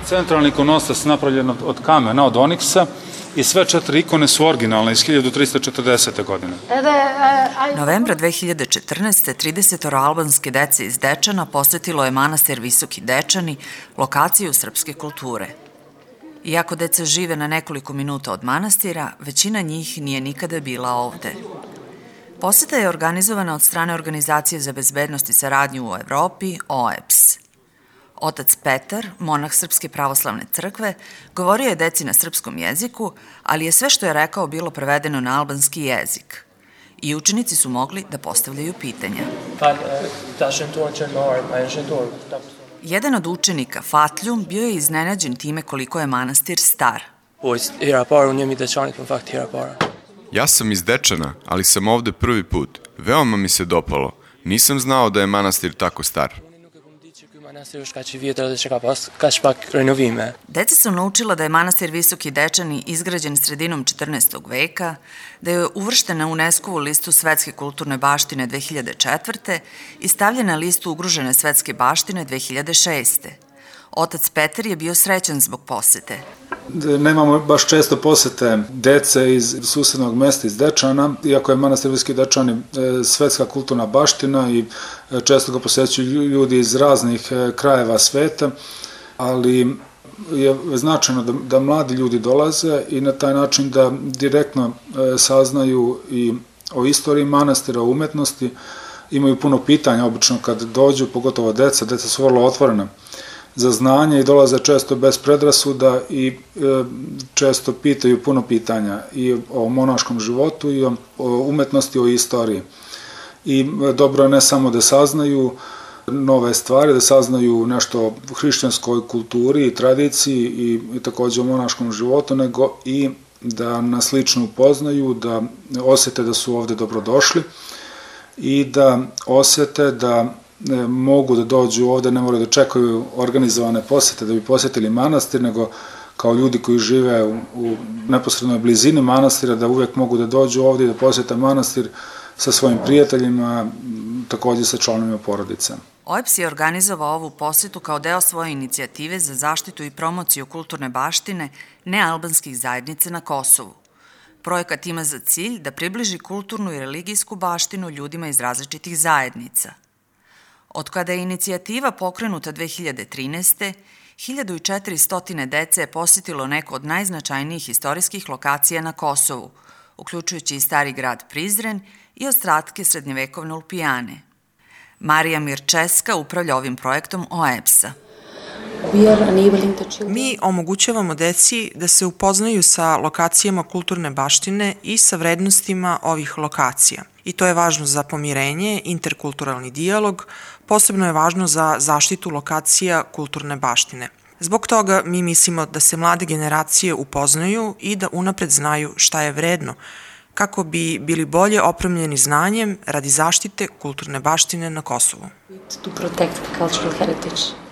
centralni ikonostas napravljen od kamena, od oniksa, i sve 4 ikone su originalne iz 1340. godine. Novembra 2014. 30 albanske dece iz Dečana posetilo je manastir Visoki Dečani, lokaciju srpske kulture. Iako deca žive na nekoliko minuta od manastira, većina njih nije nikada bila ovde. Poseta je organizovana od strane Organizacije za bezbednost i saradnju u Evropi, OEBS. Otac Petar, monah Srpske pravoslavne crkve, govorio je deci na srpskom jeziku, ali je sve što je rekao bilo prevedeno na albanski jezik. I učenici su mogli da postavljaju pitanja. Jedan od učenika, Fatljum, bio je iznenađen time koliko je manastir star. Ja sam iz Dečana, ali sam ovde prvi put. Veoma mi se dopalo. Nisam znao da je manastir tako star. Deca su naučila da je manastir Visoki Dečani izgrađen sredinom 14. veka, da je uvršten na UNESCO-vu listu svetske kulturne baštine 2004. i stavljen na listu ugrožene svetske baštine 2006. Otac Petar je bio srećan zbog posete. Nemamo baš često posete dece iz susednog mesta iz Dečana, iako je manastir Visoki Dečani svetska kulturna baština i često ga posećuju ljudi iz raznih krajeva sveta, ali je značajno da mladi ljudi dolaze i na taj način da direktno saznaju i o istoriji manastira, o umetnosti. Imaju puno pitanja, obično kad dođu, pogotovo deca su vrlo otvorena za znanje i dolaze često bez predrasuda i često pitaju puno pitanja i o monaškom životu i o umetnosti, o istoriji. I dobro je ne samo da saznaju nove stvari, da saznaju nešto o hrišćanskoj kulturi i tradiciji i takođe o monaškom životu, nego i da nas lično upoznaju, da osete da su ovde dobrodošli i da osete da mogu da dođu ovde, ne moraju da čekaju organizovane posete da bi posetili manastir, nego kao ljudi koji žive u neposrednoj blizini manastira, da uvek mogu da dođu ovde i da posete manastir sa svojim prijateljima, takođe sa članovima porodice. OEBS je organizovao ovu posetu kao deo svoje inicijative za zaštitu i promociju kulturne baštine nealbanskih zajednica na Kosovu. Projekat ima za cilj da približi kulturnu i religijsku baštinu ljudima iz različitih zajednica. Od kada je inicijativa pokrenuta 2013. 1400 dece je posjetilo neko od najznačajnijih istorijskih lokacija na Kosovu, uključujući i stari grad Prizren i ostatke srednjevekovne Ulpijane. Marija Mirčeska upravlja ovim projektom OEBS-a. Mi omogućavamo deci da se upoznaju sa lokacijama kulturne baštine i sa vrednostima ovih lokacija. I to je važno za pomirenje, interkulturalni dijalog, posebno je važno za zaštitu lokacija kulturne baštine. Zbog toga mi mislimo da se mlade generacije upoznaju i da unapred znaju šta je vredno, kako bi bili bolje opremljeni znanjem radi zaštite kulturne baštine na Kosovu. To protect cultural heritage.